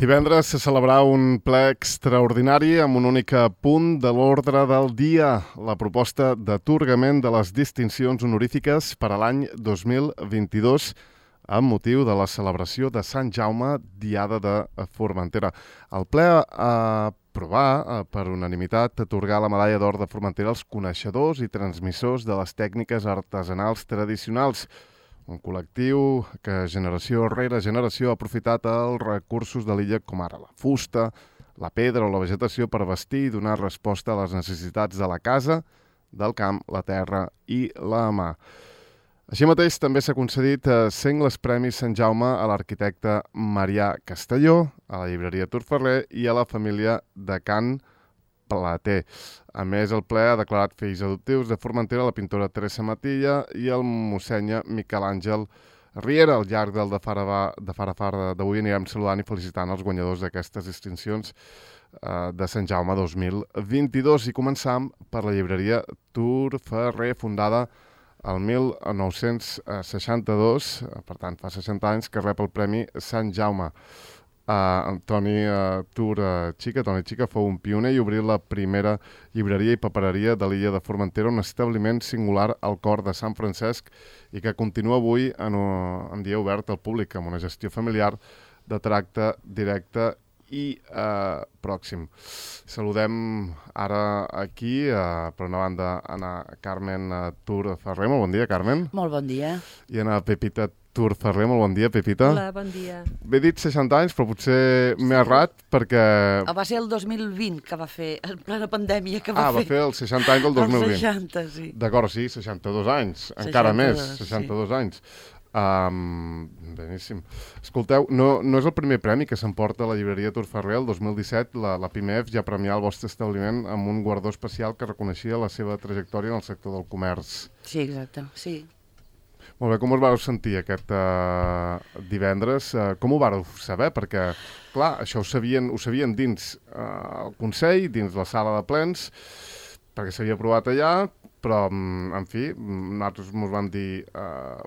Divendres se celebrarà un ple extraordinari amb un únic punt de l'ordre del dia, la proposta d'atorgament de les distincions honorífiques per a l'any 2022 amb motiu de la celebració de Sant Jaume, Diada de Formentera. El ple ha aprovar per unanimitat atorgar la medalla d'or de Formentera als coneixedors i transmissors de les tècniques artesanals tradicionals, un col·lectiu que generació rere generació ha aprofitat els recursos de l'illa com ara la fusta, la pedra o la vegetació per vestir i donar resposta a les necessitats de la casa, del camp, la terra i la mà. Així mateix també s'ha concedit sengles premis Sant Jaume a l'arquitecte Marià Castelló, a la llibreria Turferrer i a la família de Can Plater. A més, el ple ha declarat fills adoptius de Formentera la pintora Teresa Matilla i el mossenya Miquel Àngel Riera. Al llarg del de far a far d'avui anirem saludant i felicitant els guanyadors d'aquestes distincions de Sant Jaume 2022. I començam per la llibreria Turferrer, fundada el 1962, per tant fa 60 anys que rep el Premi Sant Jaume. Toni Chica fou un pioner i obrí la primera llibreria i papereria de l'illa de Formentera, un establiment singular al cor de Sant Francesc i que continua avui en dia obert al públic amb una gestió familiar de tracte directe i pròxim. Saludem ara aquí, per una banda, a Carmen Turferrer. Molt bon dia, Carmen. Molt bon dia. I a Pepita Turferrer. Molt bon dia, Pepita. Hola, bon dia. Bé dit 60 anys, però potser m'he errat perquè... Va ser el 2020 que va fer, en plena pandèmia que va fer. Va fer els 60 anys del 2020. Els 60, sí. D'acord, sí, 62 anys, encara més, 62 sí. Anys. Beníssim. Escolteu, no és el primer premi que s'emporta a la llibreria Turferrer. El 2017 la PIMEF ja premià el vostre establiment amb un guardó especial que reconeixia la seva trajectòria en el sector del comerç. Sí, exacte, sí. Molt bé, com us vau sentir aquest divendres? Com ho vau saber? Perquè, clar, això ho sabien dins el Consell, dins la sala de plens, perquè s'havia aprovat allà, però, en fi, nosaltres ens vam dir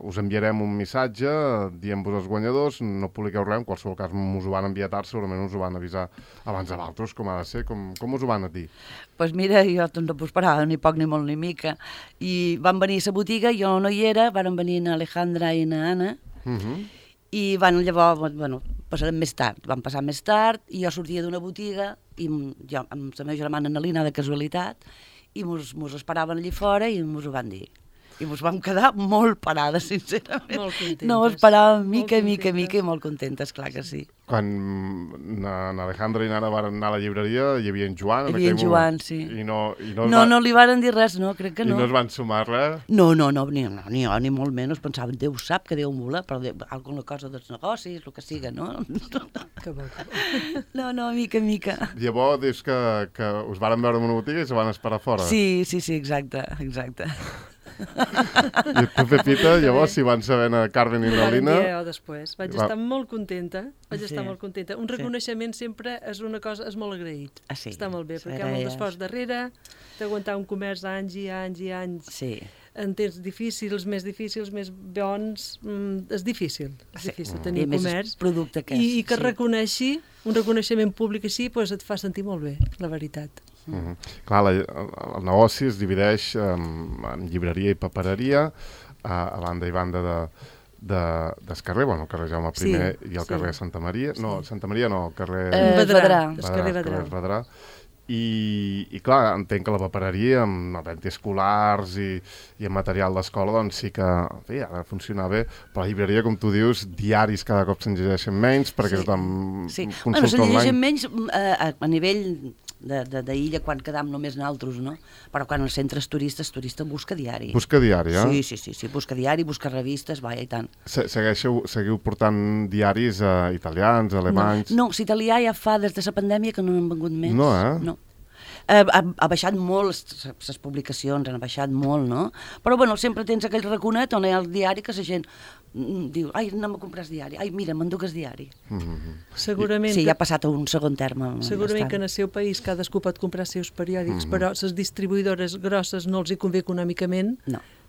us enviarem un missatge dient-vos als guanyadors, no publiqueu res, en qualsevol cas us ho van enviar tard, segurament us ho van avisar abans de l'altres, com ha de ser, com us ho van dir? Doncs mira, jo no m'ho esperava, ni poc ni molt ni mica, i van venir a la botiga, jo no hi era, van venir na Alejandra i na Anna, i llavors, passarem més tard, van passar més tard, i jo sortia d'una botiga, i jo amb la meva germana Annalina, de casualitat, i mos esperaven allà fora i mos ho van dir. I mos vam quedar molt parades, sincerament. Molt contentes. No ho esperàvem mica i molt contentes, clar que sí. Quan Alejandra i Nana van anar a la llibreria, hi havia en Joan. Hi havia en Joan, sí. I no li varen dir res, no, crec que no. I no es van sumar res? No, ni jo, ni molt menys. Pensaven, Déu sap que Déu vola, però alguna cosa dels negocis, el que siga, no? Que bo. No, mica. Llavors dius que us varen veure en una botiga i se van esperar fora? Sí, exacte. I tu, Pepita, llavors, si van saber a Carmen i la Lina... Després. Vaig estar molt contenta. Un reconeixement sempre és una cosa, és molt agraït. Sí. Està molt bé, perquè hi ha molt d'esforç darrere, d'aguantar un comerç anys i anys. Sí. En temps difícils, més bons, és difícil tenir comerç. Producte que és. I que reconeixi, un reconeixement públic així, doncs et fa sentir molt bé, la veritat. Clar, el negoci es divideix en llibreria i papereria, a banda i banda del carrer, el carrer Jaume I i el carrer Santa Maria. No, Santa Maria no, el carrer... Vedrà. I clar, entenc que la papereria amb venda escolars i amb material d'escola doncs sí que ha de funcionar bé, però la llibreria, com tu dius, diaris cada cop se'n llegeixen menys perquè tothom consulta online. Se'n llegeixen menys a nivell d'illa quan quedam només nosaltres, no? Però quan els centres turistes, turista busca diari. Busca diari, eh? Sí, busca diari, busca revistes, i tant. Seguiu portant diaris italians, alemanys? No, l'italià ja fa des de la pandèmia que no n'han vengut més. No, eh? No. Ha baixat molt, les publicacions han baixat molt, no? Però sempre tens aquell raconet on hi ha el diari que la gent diu, anem a comprar el diari, mira, m'enduc el diari. Segurament sí, ja ha passat a un segon terme. Segurament que en el seu país cadascú pot comprar els seus periòdics, però les distribuïdores grosses no els hi convé econòmicament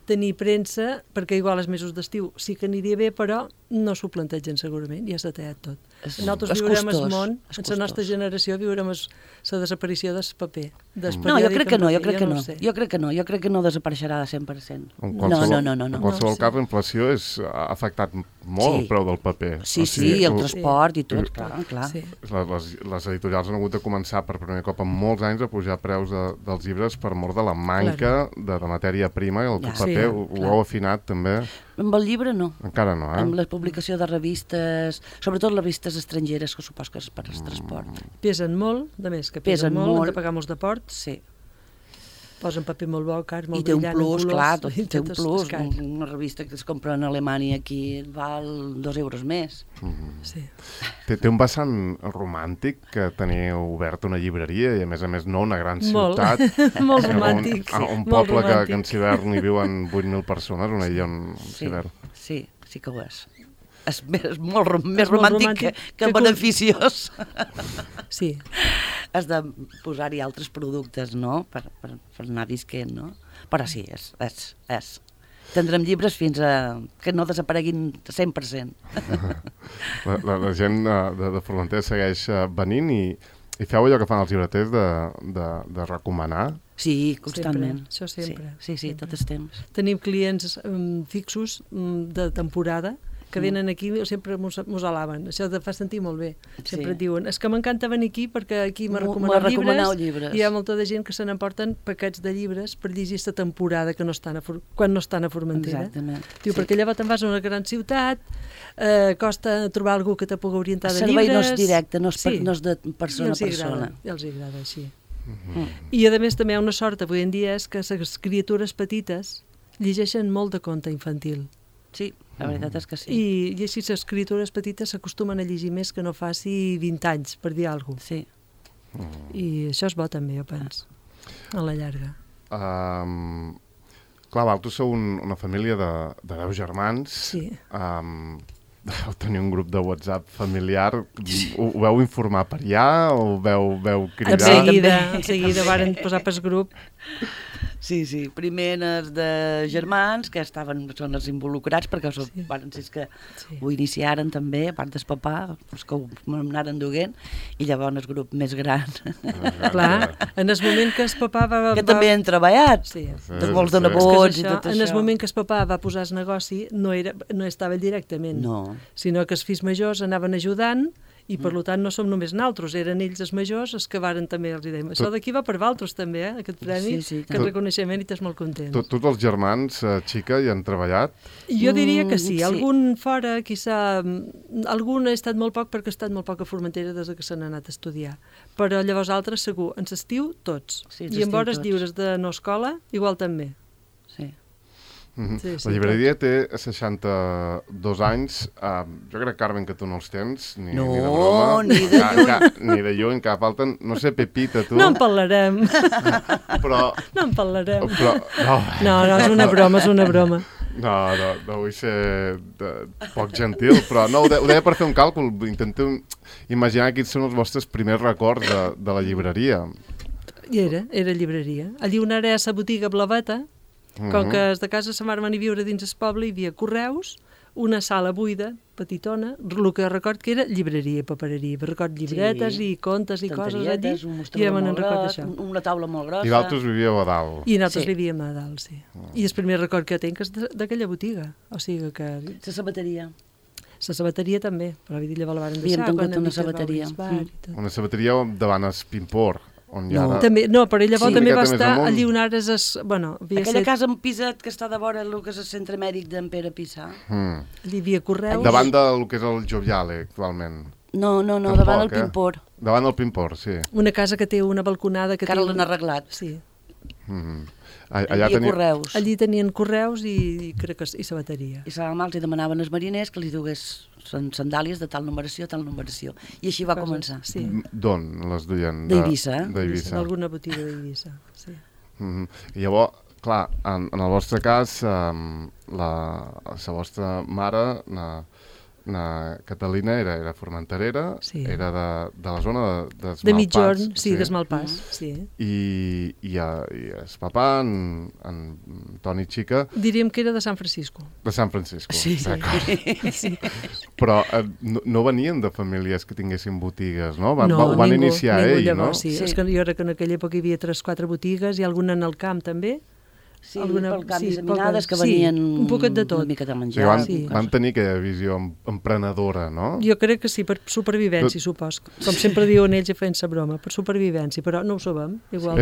tenir premsa, perquè igual els mesos d'estiu sí que aniria bé, però no s'ho plantegen segurament, ja s'ha tallat tot. Nosaltres És viurem costós, el món, és en la nostra costós. generació viurem la desaparició del paper. No, jo crec que no, jo crec que no. Jo crec que no desapareixerà de 100%. En No. qualsevol cas, la inflació ha afectat molt el preu del paper. Sí, el transport i tot, clar. Sí. Les editorials han hagut de començar per primer cop en molts anys a pujar preus dels llibres per mort de la manca de matèria prima, i el paper ho heu afinat també. Amb el llibre no. Encara no, Amb la publicació de revistes, sobretot les revistes estrangeres, que supos que és per al transport. Pesen molt, de més que pesen molt, hem de pagar molts de port. Sí. Posen paper molt bo, car, molt I té un brillant, plus, clar, té un és plus. car. Una revista que es compra en Alemanya aquí val 2 euros més. Sí. Té un vessant romàntic que teniu obert una llibreria i a més no una gran ciutat. Molt romàntic. Un poble que en Civern hi viuen 8.000 persones, una illa en Civern. Sí que ho és. És molt més romàntic que beneficiós. Sí. Has de posar-hi altres productes, no?, per anar visquent, no? Però sí, és. Tindrem llibres fins a que no desapareguin 100%. La gent de Formentera segueix venint i feu allò que fan els llibreters de recomanar? Sí, constantment. Això sempre. Sí, tot el temps. Tenim clients fixos de temporada que venen aquí i sempre mos alaben. Això te fa sentir molt bé. Sempre et diuen, és que m'encanta venir aquí perquè aquí me recomaneu llibres i hi ha molta de gent que se n'emporten paquets de llibres per llegir aquesta temporada que quan no estan a Formentera. Exactament. Diu, perquè llavors te'n vas a una gran ciutat, costa trobar algú que te pugui orientar de llibres. El servei no és directe, no és de persona a persona. I els agrada així. I a més també hi ha una sort avui en dia és que les criatures petites llegeixen molt de conte infantil. Sí, la veritat és que sí. I així les criatures petites s'acostumen a llegir més que no faci 20 anys, per dir alguna cosa. Sí. I això és bo també, jo penso, a la llarga. Clar, vosaltres sou una família de 10 germans. Sí. Vau tenir un grup de WhatsApp familiar. Ho veu informar per allà o veu cridar? En seguida varen posar pel grup. Sí, primer els de germans, que són els involucrats, perquè van ser que ho iniciaren també, a part del papà, que ho anaren duent, i llavors el grup més gran. Clar, en el moment que el papà va... Que també han treballat, molts de nebots i tot això. En el moment que el papà va posar el negoci, no estava directament, sinó que els fills majors anaven ajudant, i per tant no som només naltros, eren ells els majors els que varen també, els dèiem, això d'aquí va per valtros també, aquest premi, aquest reconeixement, i t'és molt content. Tots els germans, xica, hi han treballat? Jo diria que sí, algun fora, algun ha estat molt poc perquè ha estat molt poc a Formentera des que s'han anat a estudiar, però llavors altres segur, en l'estiu tots, i en hores lliures de no escola, igual també. Sí. La llibreria té 62 anys. Jo crec, Carmen, que tu no els tens, ni de broma. Ni de lluny, que falten, no sé, Pepita, tu. No en parlarem. Però... No en parlarem. No, és una broma. No vull ser poc gentil, però no, ho deia per fer un càlcul. Intento imaginar quins són els vostres primers records de la llibreria. I era llibreria. Allí on era la botiga Blaveta, com que des de casa sa mare van a viure dins el poble, hi havia correus, una sala buida, petitona, el que record que era llibreria i papereria. Record llibretes i contes i coses allí, i ja me'n record això. Una taula molt grossa. I d'altres vivíeu a dalt. I nosaltres vivíem a dalt, sí. I el primer record que tinc és d'aquella botiga. O sigui que... La sabateria. La sabateria també, però llavors la varen deixar. Havíem tingut una sabateria. Una sabateria davant el Pimpor. També, no, però ella també va estar allí on ara aquella casa en Piset que està de vora el que és el centre mèdic d'en Pere Pissà. Allí hi havia correus. Davant del que és el Joviale, actualment. No, davant el Pimpor. Davant el Pimpor, sí. Una casa que té una balconada que ara l'han arreglat. Sí. Allà correus. Allí tenien correus i crec que i sabateria. I els demanaven als mariners que li dugués sandàlies de tal numeració. I així va començar. Sí. D'on les duien? D'Eivissa. D'alguna botiga d'Eivissa, sí. I llavors, clar, en el vostre cas, la vostra mare Catalina era formenterera, era de la zona d'Esmalpàs. De mitjorn, d'Esmalpàs, sí. I el papà, en Toni Xica... Diríem que era de San Francisco. De San Francisco, d'acord. Sí. Però no venien de famílies que tinguessin botigues, no? No, van iniciar ell, llavors, no? Sí, és que jo crec que en aquella època hi havia 3-4 botigues i alguna en el camp també. Sí, pel camp disseminades que venien un poquet de tot. Una mica de menjar. Van tenir aquella visió emprenedora, no? Jo crec que sí, per supervivència, supos. Com sempre diuen ells i feien-se broma, per supervivència, però no ho sabem. Igual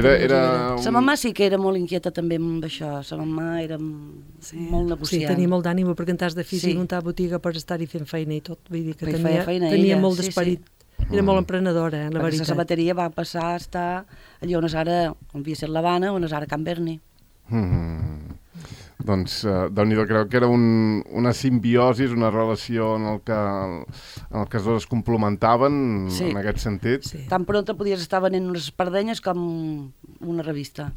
sa mamà sí que era molt inquieta també amb això, sa mamà era molt negociant. Sí, tenia molt d'ànim, perquè en tas de físic muntar botiga per estar-hi fent feina i tot, vull dir que tenia molt d'esperit. Era molt emprenedora, la veritat. Perquè la sabateria va passar a estar allà on és ara, on havia estat l'Havana, on és ara Can Berni. Doncs Déu-n'hi-do, crec que era una simbiosi, una relació en el que els dos es complementaven en aquest sentit. Tan pronta podies estar venent unes espardenyes com una revista.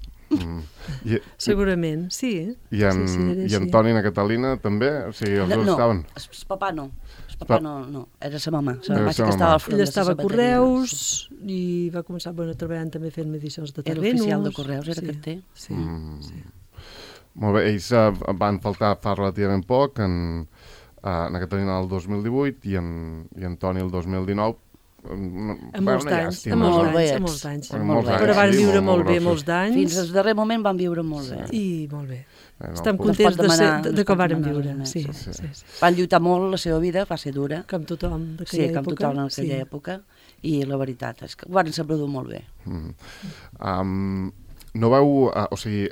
Segurament, sí. I en Toni i na Catalina també? O sigui, els dos estaven? No, el papà no. El papà no, era sa mamà. Sa mamà sí que estava al front de la sabateria. Ell estava a Correus i va començar treballant també fent medicions de terrenos. Era oficial de Correus, era carter. Sí. Molt bé, ells van faltar fa relativament poc, na Catalina el 2018 i en Toni el 2019. Molts anys. Però van viure molt bé, molts d'anys. Fins al darrer moment van viure molt bé. I molt bé. Estem contents de com varen viure. Van lluitar molt, la seva vida va ser dura. Com tothom d'aquella època. Sí, com tothom en aquella època. I la veritat és que ho van saber dur molt bé. No veu... O sigui,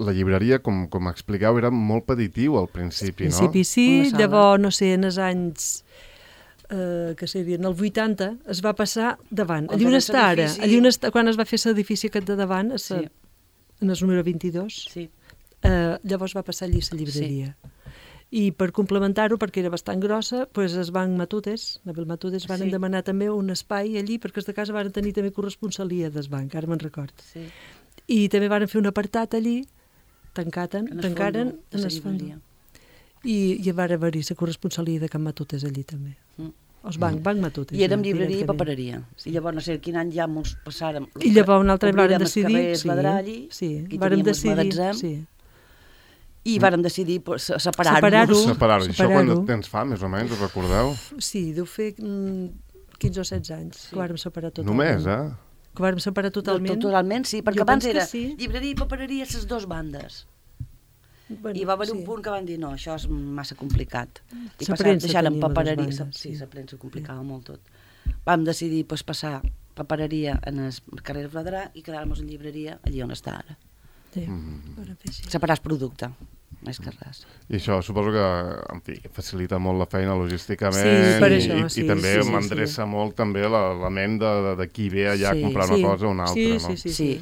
la llibreria, com expliqueu, era molt petitiu al principi, no? Al principi sí, llavors, no sé, en els anys... que serien el 80, es va passar davant. Allí on està ara, quan es va fer l'edifici aquest de davant, en el número 22, llavors va passar allí la llibreria. I per complementar-ho, perquè era bastant grossa, doncs es van Matutes, la Matutes van demanar també un espai allí, perquè els de casa van tenir també corresponsalia del banc, ara me'n record. I també van fer un apartat allí, tancaren en el fons. I va haver-hi la corresponsalia de Can Matutes allí també. Els banc Matutes. I érem llibreria i papereria. I llavors no sé quin any ja ens passàrem. I llavors un altre vàrem decidir... I vàrem decidir... I vàrem decidir separar-ho. Separar-ho. Això quant de temps fa, més o menys, us recordeu? Sí, deu fer 15 o 16 anys que vàrem separar totalment. Només, Que vàrem separar totalment. Totalment, sí, perquè abans era llibreria i papereria les dues bandes. I va haver un punt que van dir, no, això és massa complicat. I deixant papereria. Sí, la premsa complicava molt tot. Vam decidir passar papereria en el carrer Fladerà i quedar-nos en llibreria allí on està ara. Separar el producte, més que res. I això suposo que, en fi, facilita molt la feina logísticament i també m'endreça molt també la ment de qui ve allà a comprar una cosa o una altra, no? Sí.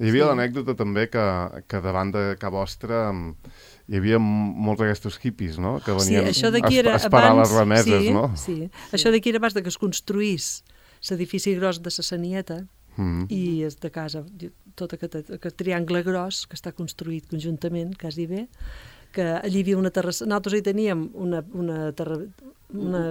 Hi havia l'anècdota també que davant de casa vostra hi havia molts d'aquestos hippies, no? Que venien a esperar les remeses, no? Sí, això d'aquí era abans que es construís l'edifici gros de la Sanieta i és de casa, tot aquest triangle gros que està construït conjuntament, quasi bé, que allí hi havia una terrassa, nosaltres hi teníem una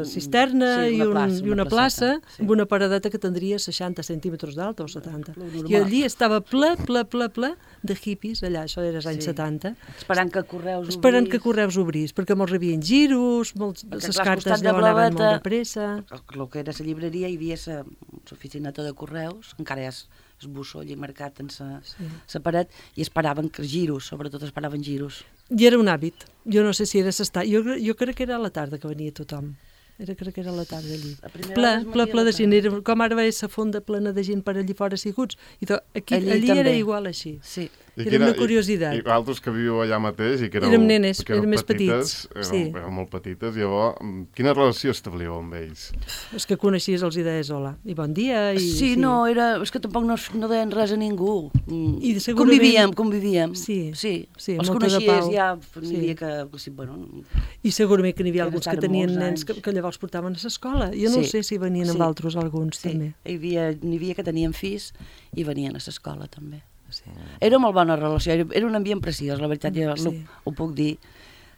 cisterna i una plaça amb una paradeta que tindria 60 centímetres d'alta o 70. I allí estava ple de hippies, allà, això era als anys 70. Esperant que Correus obrís, perquè molts rebien giros, les cartes llavors anaven molt de pressa. El que era la llibreria hi havia l'oficineta de Correus, encara és el bussó allà marcat en la paret, i esperaven giros, sobretot esperaven giros. I era un hàbit. Jo no sé si era jo crec que era a la tarda que venia tothom. Crec que era a la tarda allí. Ple de gent. Com ara veia la fonda plena de gent per allí fora asseguts. Allí era igual així. Sí. Era una curiositat. I altres que viu allà mateix i que érem nenes, érem més petits. Érem molt petites. Llavors, quina relació establíeu amb ells? És que coneixies, els deies hola i bon dia. Sí, no, és que tampoc no deien res a ningú. I segurament... Convivíem. Sí. Els coneixies ja, n'hi havia que... I segurament que n'hi havia alguns que tenien nens que llavors portaven a l'escola. Jo no sé si venien amb altres alguns també. N'hi havia que tenien fills i venien a l'escola també. Era molt bona relació, era un ambient preciós, la veritat, jo ho puc dir.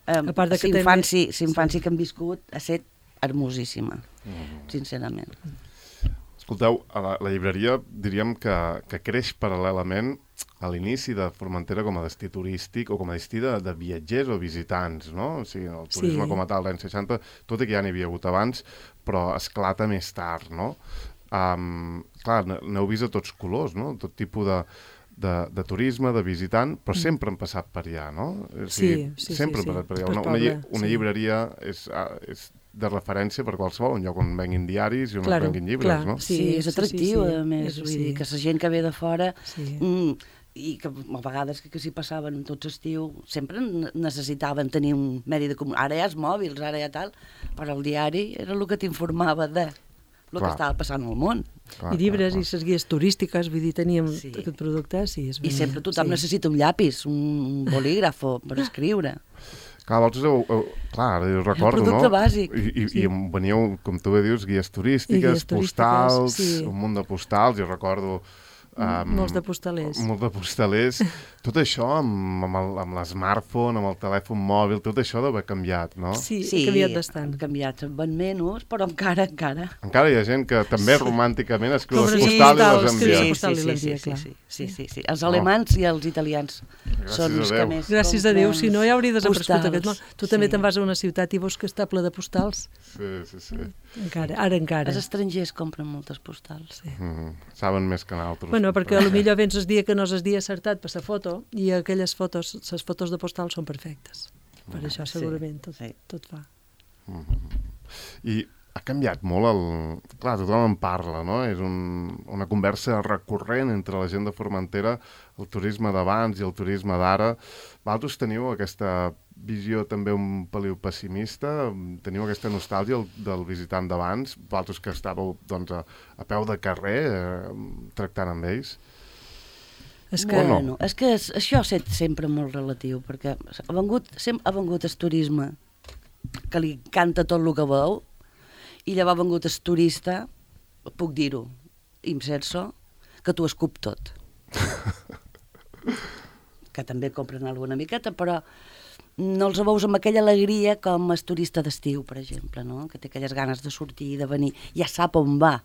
A part de que l'infància que hem viscut ha estat hermosíssima, sincerament. Escolteu, la llibreria diríem que creix paral·lelament a l'inici de Formentera com a destí turístic o com a destí de viatgers o visitants, no? O sigui, el turisme com a tal d'any 60, tot i que ja n'hi havia hagut abans, però esclata més tard, no? Clar, n'heu vist a tots colors, no? Tot tipus de turisme, de visitant, però sempre han passat per allà, no? Sí. Sempre han passat per allà. Una llibreria és de referència per qualsevol, un lloc on venguin diaris i on es venguin llibres, no? Sí, és atractiu, a més, vull dir que la gent que ve de fora i que a vegades que s'hi passaven tots estiu, sempre necessitaven tenir un medi de comunicació. Ara hi ha els mòbils, ara hi ha tal, però el diari era el que t'informava de el que estava passant al món. I llibres i les guies turístiques, vull dir, teníem aquest producte, I sempre tothom necessita un llapis, un bolígraf per escriure. Clar, vosaltres, clar, ho recordo, no? El producte bàsic. I veníeu, com tu bé dius, guies turístiques, postals, un munt de postals, jo recordo... molts de postalers. Molts de postalers. Tot això amb l'smartphone, amb el telèfon mòbil, tot això deu haver canviat, no? Sí, ha canviat bastant. Ha canviat, van menys, però encara. Encara hi ha gent que també romànticament escriu les postals i les envia. Sí. Els alemans i els italians són els que més... Gràcies a Déu, si no ja hauria desaparegut aquest món. Tu també te'n vas a una ciutat i veus que està ple de postals. Sí. Ara encara. Els estrangers compren moltes postals. Saben més que nosaltres. Bueno, perquè potser vens el dia que no és el dia acertat per la foto i aquelles fotos, les fotos de postal són perfectes. Per això segurament tot fa. I ha canviat molt Clar, tothom en parla, no? És una conversa recurrent entre la gent de Formentera, el turisme d'abans i el turisme d'ara. Vosaltres teniu aquesta visió també un peliu pessimista? Teniu aquesta nostàlgia del visitant d'abans? Vosaltres que estàveu doncs, a peu de carrer tractant amb ells? És que això és sempre molt relatiu, perquè ha vengut el turisme que li canta tot el que veu, i llavors ha vengut el turista, puc dir-ho, imsenso, que t'ho escup tot. Que també compren alguna miqueta, però no els veus amb aquella alegria com el turista d'estiu, per exemple, no? Que té aquelles ganes de sortir i de venir. Ja sap on va,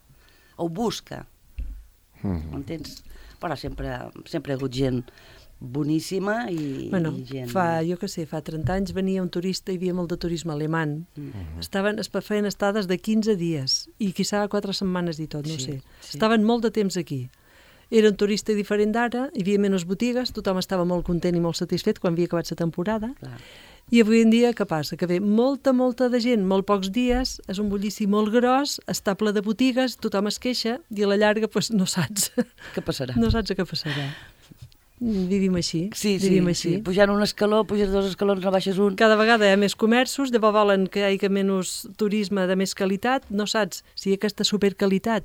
ho busca. M'entens? Però sempre hi ha hagut gent boníssima i gent... Jo què sé, fa 30 anys venia un turista, hi havia molt de turisme alemany. Feien estades de 15 dies i quizà 4 setmanes i tot, no sé. Estaven molt de temps aquí. Era un turista diferent d'ara, hi havia menys botigues, tothom estava molt content i molt satisfet quan havia acabat la temporada. I avui en dia què passa? Que ve molta de gent, molt pocs dies, és un bullici molt gros, està ple de botigues, tothom es queixa i a la llarga no saps què passarà. No saps què passarà. Vivim així. Vivim així. Pujant un escaló, puges 2 escalons, no baixes un. Cada vegada hi ha més comerços, llavors volen que hi hagi menys turisme de més qualitat, no saps si aquesta superqualitat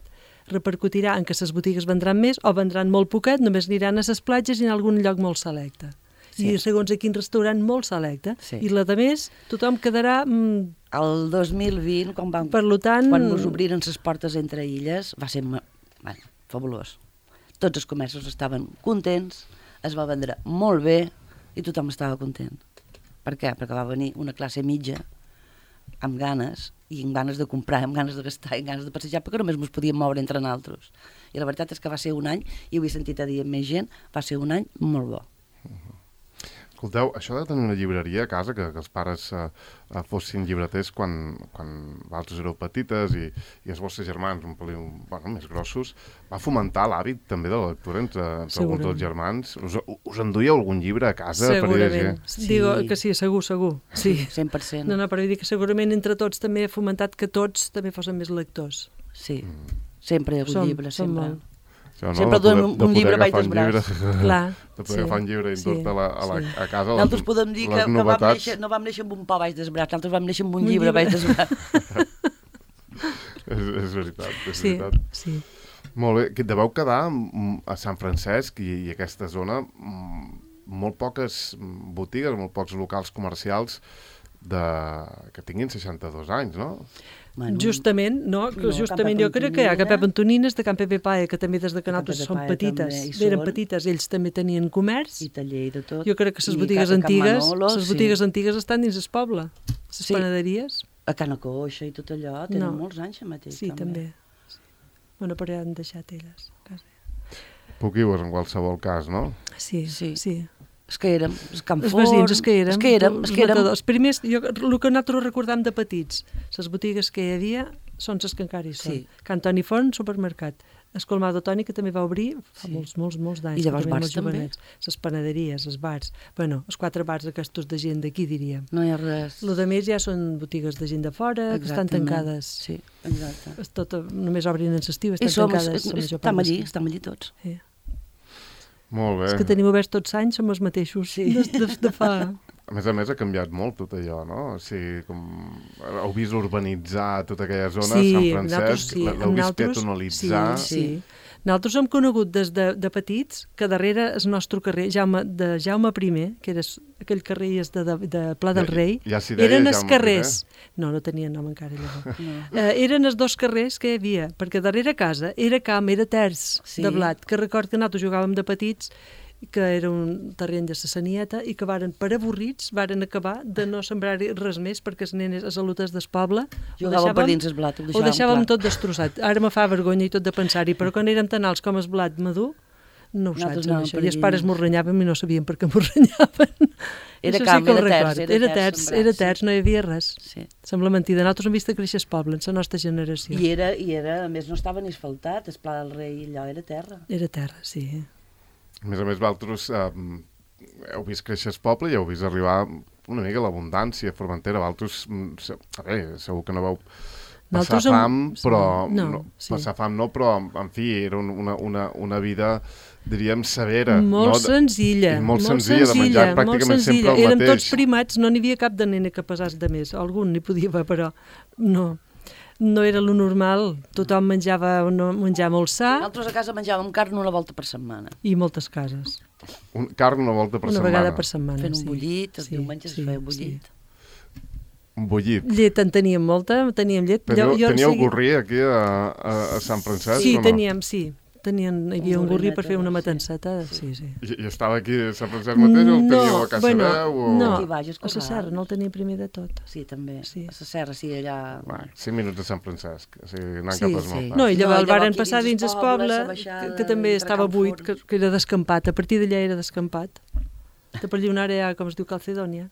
repercutirà en que les botigues vendran més o vendran molt poquet, només aniran a les platges i en algun lloc molt selecte. I segons a quin restaurant molt selecte. I la de més, tothom quedarà... El 2020, quan ens obriren les portes entre illes, va ser fabulós. Tots els comerços estaven contents, es va vendre molt bé i tothom estava content. Per què? Perquè va venir una classe mitja amb ganes, i amb ganes de comprar, amb ganes de gastar, i amb ganes de passejar, perquè només ens podíem moure entre nosaltres. I la veritat és que va ser un any, i ho he sentit a dir amb més gent, va ser un any molt bo. Escolteu, això de tenir una llibreria a casa, que els pares fossin llibreters quan vosaltres éreu petites i els vostres germans un peliu més grossos, va fomentar l'hàbit també de la lectura entre alguns dels germans. Us enduíeu algun llibre a casa? Segurament. Digo que sí, segur. Sí. 100%. No, però vull dir que segurament entre tots també ha fomentat que tots també fossin més lectors. Sí, sempre hi ha hagut llibres, sempre. No? Sempre donem un llibre baix dels braç. De poder agafar un llibre i endur-te a casa nosaltres podem dir que no vam néixer amb un pa baix dels braç, nosaltres vam néixer amb un llibre baix dels braç. És veritat. Sí. Molt bé, deveu quedar a Sant Francesc i aquesta zona molt poques botigues, molt pocs locals comercials que tinguin 62 anys, no? Justament, no? Justament jo crec que hi ha Pep Antonines de Can Pepe Pae, que també des de que nosaltres són petites, eren petites, ells també tenien comerç. I taller i de tot. Jo crec que les botigues antigues estan dins el poble, les panaderies. A Cana Coixa i tot allò, tenen molts anys mateix. Sí, també. Sí. Bueno, però ja han deixat elles. Poquius en qualsevol cas, no? Sí. És que érem, els veïns, els que érem. Els primers, el que nosaltres recordam de petits, les botigues que hi havia són les que encara hi són. Sí. Can Toni Font, supermercat. El Colmado Toni, que també va obrir fa molts d'anys. I llavors bars també. Les panaderies, els bars. Bueno, els 4 bars aquests de gent d'aquí, diríem. No hi ha res. El de més ja són botigues de gent de fora, que estan tancades. Sí, exacte. Només obrin en l'estiu, estan tancades. Estem allí tots. Sí. Molt bé. Els que tenim oberts tots anys som els mateixos de fa... A més, ha canviat molt tot allò, no? O sigui, heu vist urbanitzar tota aquella zona, Sant Francesc, l'heu vist peatonalitzar... Sí. Nosaltres hem conegut des de petits que darrere el nostre carrer, Jaume I, que era aquell carrer de Pla del Rei, eren els carrers... No tenien nom encara llavors. Eren els 2 carrers que hi havia, perquè darrere casa era camp, era terç de blat, que record que nosaltres jugàvem de petits, que era un terreny de Sassanieta i que per avorrits varen acabar de no sembrar res més perquè les nenes, els alutes del poble jugàvem per dins el blat, ho deixàvem tot destrossat. Ara me fa vergonya i tot de pensar-hi, però quan érem tan alts com el blat madur no ho saps, això. I els pares m'ho renyaven i no sabien per què m'ho renyaven. Era camp, era terç, no hi havia res. Sembla mentida. Nosaltres hem vist créixer el poble en la nostra generació. I era, a més, no estava ni asfaltat, el Pla del Rei, allò era terra. Era terra, sí. A més, vosaltres heu vist créixer el poble i heu vist arribar una mica l'abundància a Formentera. Vosaltres, segur que no vau passar fam, però... Passar fam no, però, en fi, era una vida, diríem, severa. Molt senzilla. Molt senzilla, de menjar pràcticament sempre el mateix. Érem tots primats, no n'hi havia cap de nena que passés de més. Algun n'hi podia haver, però no era lo normal. Tothom menjava molt sa. Nosaltres a casa menjàvem carn una volta per setmana. I moltes cases. Carn una volta per setmana? Una vegada per setmana, fent un bullit, els diumenges es feia un bullit. Un bullit? Llet en teníem molta, teníem llet. Teníeu gorri aquí a Sant Francesc? Sí, teníem, sí. Hi havia un gorri per fer una matanceta, sí. I estava aquí a Sant Francesc mateix o el teníeu a Casa Veu? No, a la Serra, no el tenia primer de tot. Sí, també, a la Serra, sí, allà... 5 minuts a Sant Francesc, o sigui, anant cap a Esmaltat. No, i llavors el varen passar dins el poble, que també estava buit, que era descampat, a partir d'allà era descampat. De per allà ara hi ha, com es diu, Calcedònia.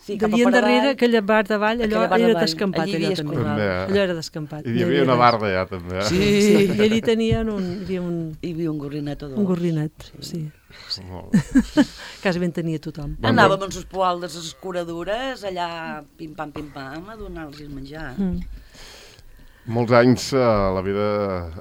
D'allí endarrere, aquella bar davall, allò era descampat, allò també. Allò era descampat. I hi havia una barda allà, també. Sí, i allí tenien hi havia un gorrinet o dos. Un gorrinet, sí. Quasi ben tenia tothom. Anàvem amb les poaldes, les escuradures, allà pim-pam, a donar-los menjar. Molts anys a la vida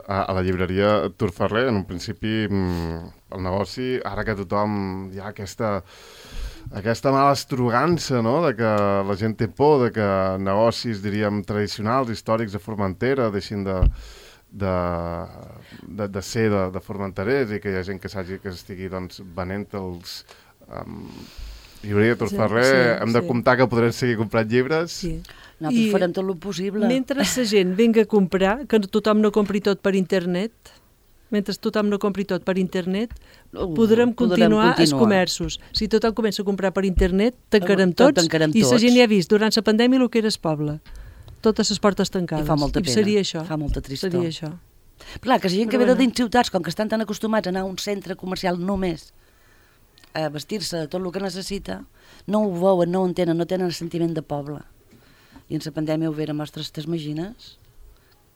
a la llibreria Tur Ferrer, en un principi el negoci, ara que tothom hi ha aquesta mala estrugança, no?, de que la gent té por, de que negocis, diríem, tradicionals, històrics de Formentera deixin de ser de formenterers i que hi ha gent que estigui venent els... llibreria Tur Ferrer, hem de comptar que podrem seguir comprant llibres. Sí. Nosaltres farem tot el possible. Mentre la gent vinga a comprar, que tothom no compri tot per internet, podrem continuar els comerços. Si tothom comença a comprar per internet, tancarem tots. I la gent ja ha vist durant la pandèmia el que era el poble. Totes les portes tancades. I fa molta pena. Seria això. Fa molta tristor. Seria això. Clar, que la gent que ve de dins ciutats, com que estan tan acostumats a anar a un centre comercial només a vestir-se de tot el que necessita, no ho veuen, no ho entenen, no tenen el sentiment de poble. I en la pandèmia ho veren, ostres, t'imagines?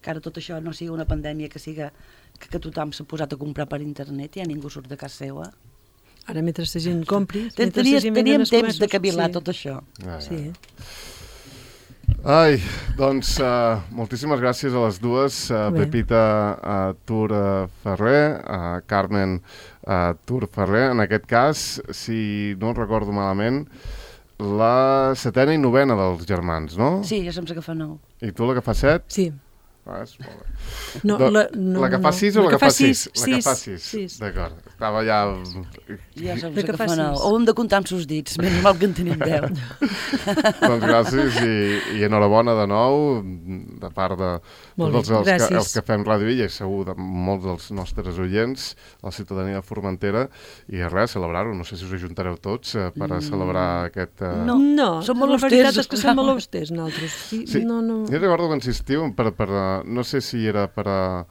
Que ara tot això no sigui una pandèmia que tothom s'ha posat a comprar per internet i ja ningú surt de casa seva. Ara, mentre la gent compri... Teníem temps de cavilar tot això. Sí. Ai, doncs moltíssimes gràcies a les dues, Pepita Tur Ferrer, Carmen Tur Ferrer. En aquest cas, si no recordo malament, la 7a i 9a dels germans, no? Sí, jo som la que fa 9. I tu la que fa 7? Sí. La que fa 6 o la que fa 6? La que fa 6, d'acord. Estava ja... Ja saps que fa 9. O hem de comptar amb sus dits, menys mal que en tenim 10. Doncs gràcies i enhorabona de nou, de part de tots els que fem Ràdio Illa i segur de molts dels nostres oients, la ciutadania de Formentera, i res, celebrar-ho. No sé si us ajuntareu tots per a celebrar aquest... No, la veritat és que som molt austers, nosaltres. Sí, jo recordo que insistiu no sé si era per a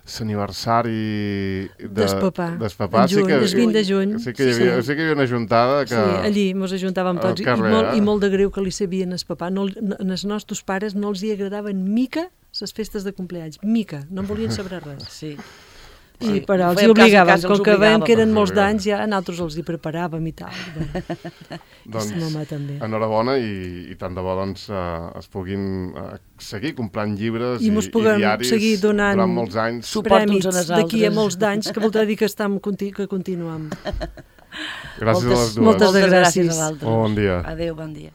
l'aniversari d'Espapà. El 20 de juny. Sí que hi havia una juntada que... Sí, allí ens ajuntàvem tots. I molt de greu que li sabien Espapà. Els nostres pares no els hi agradaven mica les festes de compleanys. Mica, no en volien saber res. Sí. Però els hi obligàvem, com que veiem que eren molts d'anys, ja nosaltres els hi preparàvem i tal. Doncs, enhorabona i tant de bo es puguin seguir comprant llibres i diaris seguir donant durant molts anys. Prèmits d'aquí a molts d'anys, que voldrà dir que continuem. Gràcies a les dues. Moltes gràcies. Bon dia. Adéu, bon dia.